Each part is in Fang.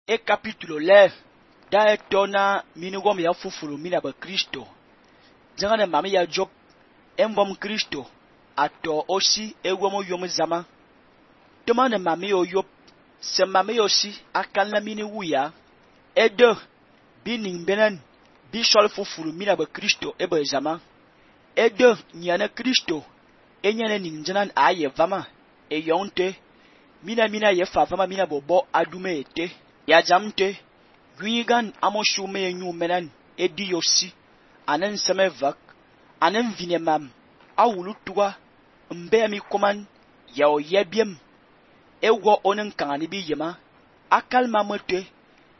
e capítulo 11 da etona minigom ya fufulu mina ba Kristo jangane mami ya job envom Kristo ato osi egwomo yom zama toma ne mami yo yop se mami yo si akalna mini wuya edo bining benen bi sol fufulu mina ba Kristo ebe zama edo nyane Kristo enyane ningjanan aye vama eyonte mina ye favama mina bobo adume ete ya jamte gwigan amoshume enyu menan edi yosi anen semevak anen vinemam awulu tuwa mbe mi koman ya oyebiem ewo onen kangani bi yema akal mamote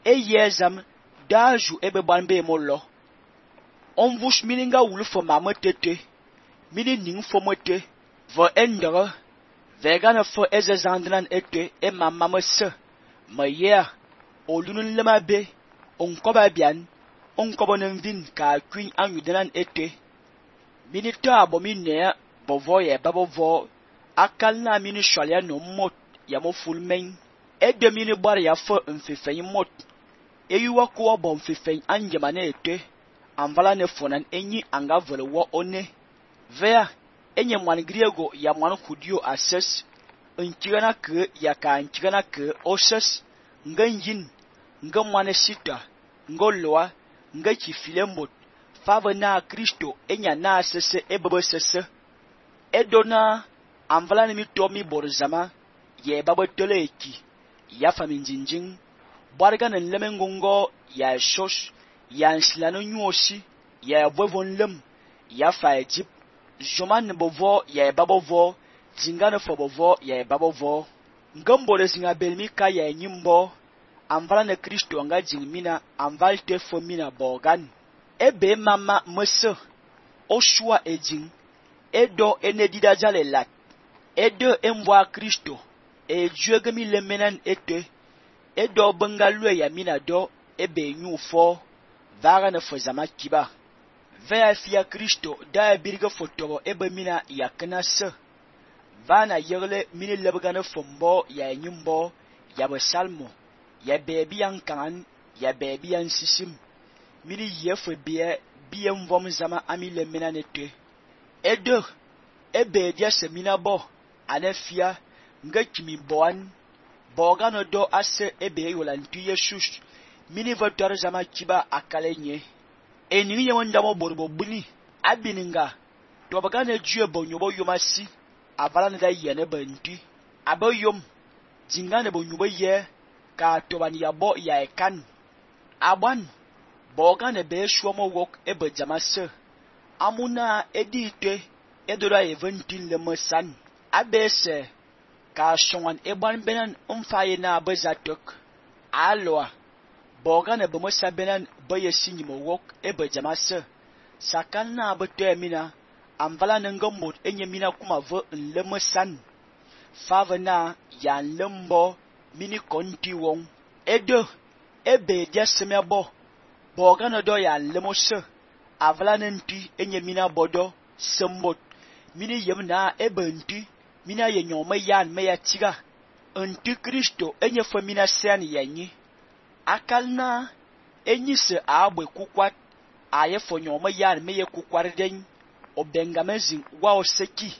eyezam daju ebe banbe mollo onvush mininga wulu fo mamotete mini ning fo mote vo endere vegana fo ezezandran ete e mamamase mayer olunun lema be onkoba bian onkobonen vin ka kwin anyudenan ete minita abomine bovo ye babovo akal na mini shwalya no mot ya mo fulmen ede mini bar ya fo mfefeyin mot eyuwa kuwa bo mfefeyin anjemane ete anvala ne fonan enyi anga vole wo one vea enye mwan griego ya mwan kudio ases nchigana ke ya ka nchigana ke oses nganjin nga mwane sita ngo loa nga chifilembot fava na Kristo enya na sese ebebe sese edona anvala ni mitomi borzama ye babo toleki ya faminjinjin barga na lemengongo ya shos ya nsilano nyuosi ya bovon lem ya fa Egypt joman bovo ya babovo zingana fo bovo ya babovo ngambole zinga belmika ya nyimbo anvala na Kristo nga jingmina anvalte fo mina bogan ebe mama mese oshua ejing edo enedida jale lat edo emwa Kristo ejuegemi lemenan ete edo bengalwe ya mina do ebe nyufo vaga na fo zama kiba vea fia Kristo da birga fotobo ebe mina yaknase vana yegle mini lebgane fombo ya nyimbo ya besalmo ya bebi yankan ya bebi yansisim mini yefe biye mvom zama amile mina nete edo ebe dia semina bo anefia nga kimi boan bogano do ase ebe yolantu yesus mini votor zama kiba akalenye eni ye wonda mo borbo buni abininga to bagane jue bonyobo yomasi avala da yene banti aboyom jingane bonyobo ye ka tobani ya bo ya ekan aban bogane be shuomo wok ebe jamase amuna edite edora eventin le masan abese ka shongan eban benan umfaye na bezatok alwa bogane be mosa benan baye sinyimo wok ebe jamase sakan na bete mina amvala nangambot enye mina kuma vo le masan fava na ya lembo mini konti won edo ebe dia semebo bogane do ya lemose avala nenti enye mina bodo sembot mini yemna ebenti mina ye nyoma yan me ya tiga anti Kristo enye famina sen yanyi akalna enyi se abwe kukwat aye fo nyoma yan me ye kukwar den obengamezin wa oseki